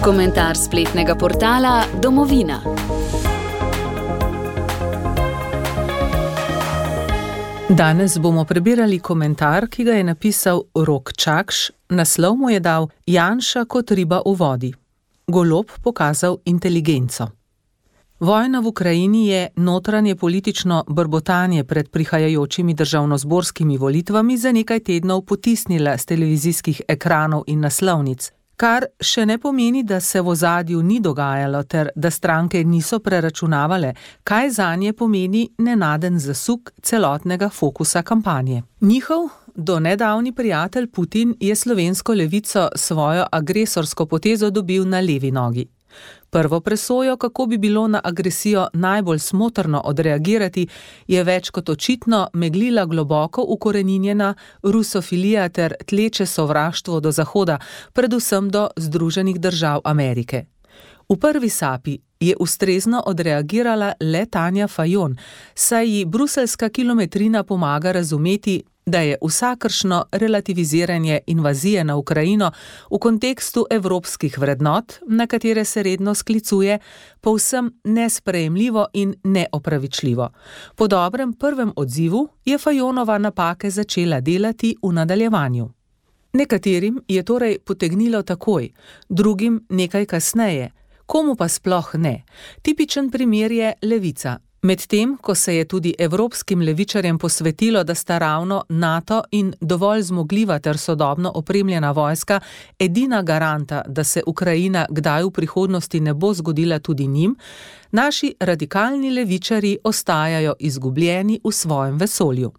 Komentar spletnega portala Domovina. Danes bomo prebirali komentar, ki ga je napisal Rok Čakš, naslov mu je dal Janša kot riba v vodi. Golob pokazal inteligenco. Vojna v Ukrajini je notranje politično brbotanje pred prihajajočimi državnozborskimi volitvami za nekaj tednov potisnila s televizijskih ekranov in naslovnic, kar še ne pomeni, da se v ozadju ni dogajalo ter da stranke niso preračunavale, kaj zanje pomeni nenaden zasuk celotnega fokusa kampanje. Njihov do nedavni prijatelj Putin je slovensko levico svojo agresorsko potezo dobil na levi nogi. Prvo presojo, kako bi bilo na agresijo najbolj smotrno odreagirati, je več kot očitno meglila globoko ukoreninjena rusofilija ter tleče sovraštvo do Zahoda, predvsem do Združenih držav Amerike. V prvi sapi je ustrezno odreagirala le Tanja Fajon, saj ji bruseljska kilometrina pomaga razumeti, da je vsakršno relativiziranje invazije na Ukrajino v kontekstu evropskih vrednot, na katere se redno sklicuje, povsem nesprejemljivo in neopravičljivo. Po dobrem prvem odzivu je Fajonova napake začela delati v nadaljevanju. Nekaterim je torej potegnilo takoj, drugim nekaj kasneje, komu pa sploh ne. Tipičen primer je levica. Medtem, ko se je tudi evropskim levičarjem posvetilo, da sta ravno NATO in dovolj zmogljiva ter sodobno opremljena vojska edina garanta, da se Ukrajina kdaj v prihodnosti ne bo zgodila tudi njim, naši radikalni levičarji ostajajo izgubljeni v svojem vesolju.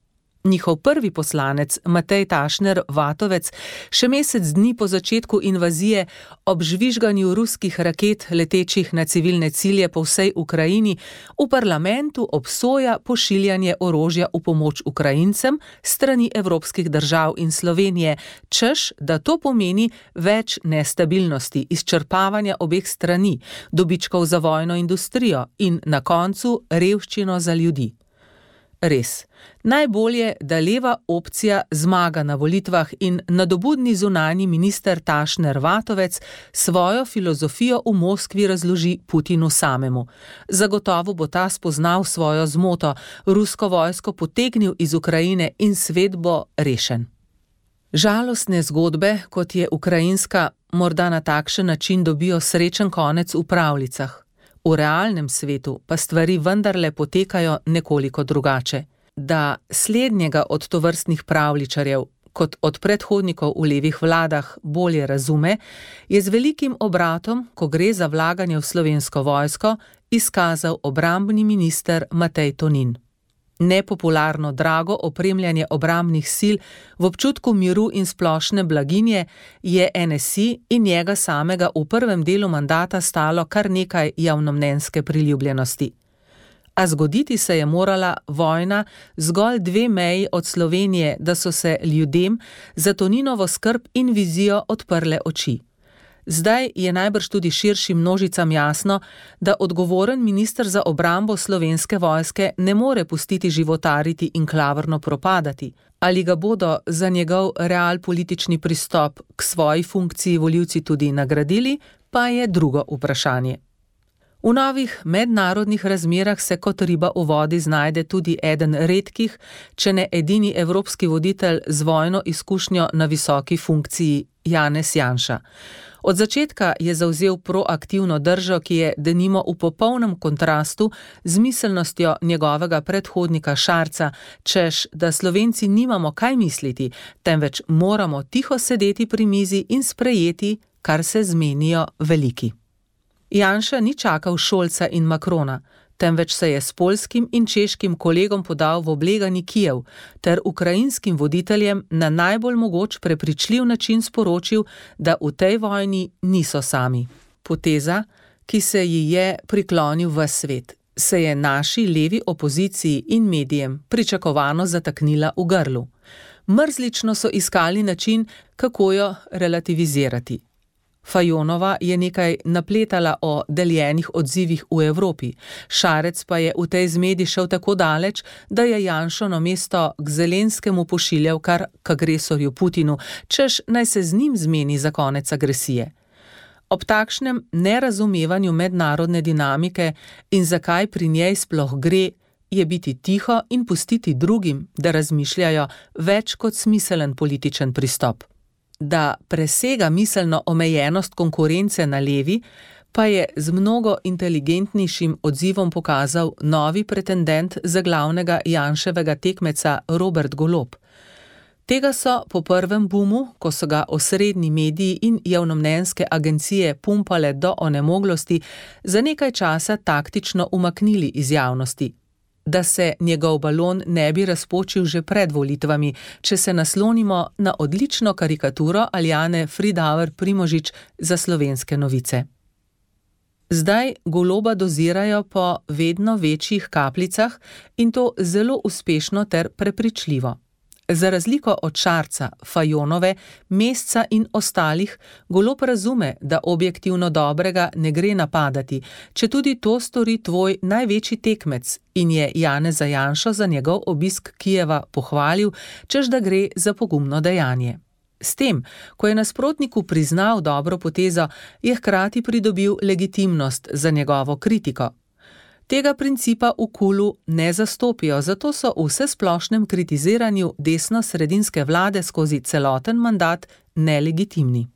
Njihov prvi poslanec, Matej Tašner Vatovec, še mesec dni po začetku invazije ob žvižganju ruskih raket letečih na civilne cilje po vsej Ukrajini, v parlamentu obsoja pošiljanje orožja v pomoč Ukrajincem strani evropskih držav in Slovenije, češ, da to pomeni več nestabilnosti, izčrpavanja obeh strani, dobičkov za vojno industrijo in na koncu revščino za ljudi. Res, najbolje, da leva opcija zmaga na volitvah in nadobudni zunanji minister Tašner Vatovec svojo filozofijo v Moskvi razloži Putinu samemu. Zagotovo bo ta spoznal svojo zmoto, rusko vojsko potegnil iz Ukrajine in svet bo rešen. Žalostne zgodbe, kot je ukrajinska, morda na takšen način dobijo srečen konec v pravljicah. V realnem svetu pa stvari vendarle potekajo nekoliko drugače. Da slednjega od tovrstnih pravljičarjev, kot od predhodnikov v levih vladah, bolje razume, je z velikim obratom, ko gre za vlaganje v slovensko vojsko, izkazal obrambni minister Matej Tonin. Nepopularno drago opremljanje obrambnih sil v občutku miru in splošne blaginje je NSI in njega samega v prvem delu mandata stalo kar nekaj javnomnenjske priljubljenosti. A zgoditi se je morala vojna zgolj 2 meji od Slovenije, da so se ljudem za Toninovo skrb in vizijo odprle oči. Zdaj je najbrž tudi širšim množicam jasno, da odgovoren minister za obrambo slovenske vojske ne more pustiti životariti in klavrno propadati. Ali ga bodo za njegov realpolitični pristop k svoji funkciji volivci tudi nagradili, pa je drugo vprašanje. V novih mednarodnih razmerah se kot riba v vodi znajde tudi eden redkih, če ne edini evropski voditelj z vojno izkušnjo na visoki funkciji, Janez Janša. Od začetka je zavzel proaktivno držo, ki je denimo v popolnem kontrastu z miselnostjo njegovega predhodnika Šarca, češ, da Slovenci nimamo kaj misliti, temveč moramo tiho sedeti pri mizi in sprejeti, kar se zmenijo veliki. Janša ni čakal Šolca in Makrona, temveč se je s poljskim in češkim kolegom podal v oblegani Kijev ter ukrajinskim voditeljem na najbolj mogoč prepričljiv način sporočil, da v tej vojni niso sami. Poteza, ki se ji je priklonil ves svet, se je naši levi opoziciji in medijem pričakovano zataknila v grlu. Mrzlično so iskali način, kako jo relativizirati. Fajonova je nekaj napletala o deljenih odzivih v Evropi, Šarec pa je v tej zmedi šel tako daleč, da je Janšo namesto k Zelenskemu pošiljal kar k agresorju Putinu, češ naj se z njim zmeni za konec agresije. Ob takšnem nerazumevanju mednarodne dinamike in zakaj pri njej sploh gre, je biti tiho in pustiti drugim, da razmišljajo, več kot smiselen političen pristop. Da presega miselno omejenost konkurence na levi, pa je z mnogo inteligentnejšim odzivom pokazal novi pretendent za glavnega Janševega tekmeca Robert Golob. Tega so po prvem bumu, ko so ga osrednji mediji in javnomnenjske agencije pumpale do onemoglosti, za nekaj časa taktično umaknili iz javnosti. Da se njegov balon ne bi razpočil že pred volitvami, če se naslonimo na odlično karikaturo Aljane Fridauer Primožič za Slovenske novice. Zdaj Goloba dozirajo po vedno večjih kapljicah in to zelo uspešno ter prepričljivo. Za razliko od Šarca, Fajonove, Mesca in ostalih, Golob razume, da objektivno dobrega ne gre napadati, četudi to stori tvoj največji tekmec, in je Janeza Janšo za njegov obisk Kijeva pohvalil, češ da gre za pogumno dejanje. S tem, ko je nasprotniku priznal dobro potezo, je hkrati pridobil legitimnost za njegovo kritiko. Tega principa v KUL-u ne zastopijo, zato so v vsesplošnem kritiziranju desno-sredinske vlade skozi celoten mandat nelegitimni.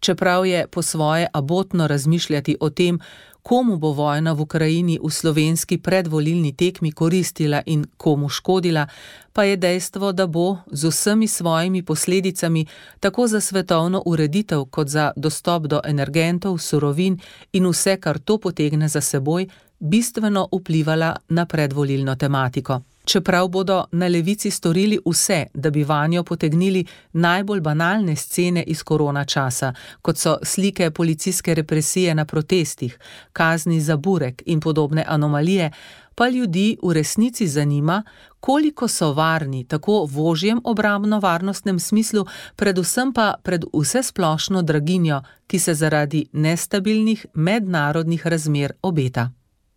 Čeprav je po svoje abotno razmišljati o tem, komu bo vojna v Ukrajini v slovenski predvolilni tekmi koristila in komu škodila, pa je dejstvo, da bo z vsemi svojimi posledicami tako za svetovno ureditev kot za dostop do energentov, surovin in vse, kar to potegne za seboj, bistveno vplivala na predvolilno tematiko. Čeprav bodo na levici storili vse, da bi vanjo potegnili najbolj banalne scene iz korona časa, kot so slike policijske represije na protestih, kazni za burek in podobne anomalije, pa ljudi v resnici zanima, koliko so varni tako v ožjem obrambno-varnostnem smislu, predvsem pa pred vsesplošno draginjo, ki se zaradi nestabilnih mednarodnih razmer obeta.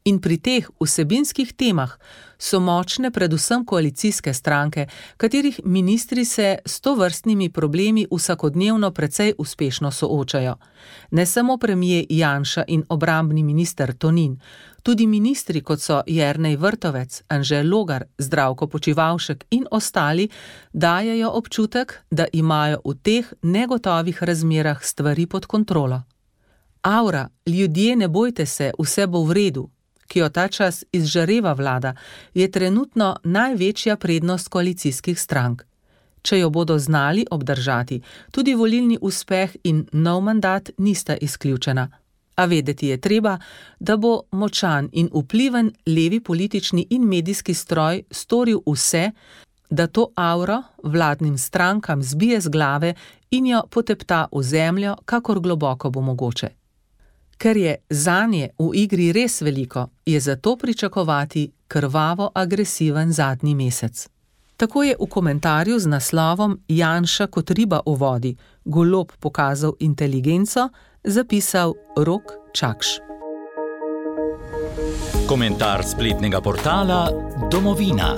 In pri teh vsebinskih temah so močne predvsem koalicijske stranke, katerih ministri se s tovrstnimi problemi vsakodnevno precej uspešno soočajo. Ne samo premier Janša in obrambni minister Tonin, tudi ministri kot so Jernej Vrtovec, Anže Logar, Zdravko Počivalšek in ostali dajejo občutek, da imajo v teh negotovih razmerah stvari pod kontrolo. Aura, ljudje ne bojte se, vse bo v redu, ki jo ta čas izžareva vlada, je trenutno največja prednost koalicijskih strank. Če jo bodo znali obdržati, tudi volilni uspeh in nov mandat nista izključena. A vedeti je treba, da bo močan in vpliven levi politični in medijski stroj storil vse, da to auro vladnim strankam zbije z glave in jo potepta v zemljo, kakor globoko bo mogoče. Ker je zanje v igri res veliko, je zato pričakovati krvavo agresiven zadnji mesec. Tako je v komentarju z naslovom Janša kot riba v vodi, Golob pokazal inteligenco, zapisal Rok Čakš. Komentar spletnega portala Domovina.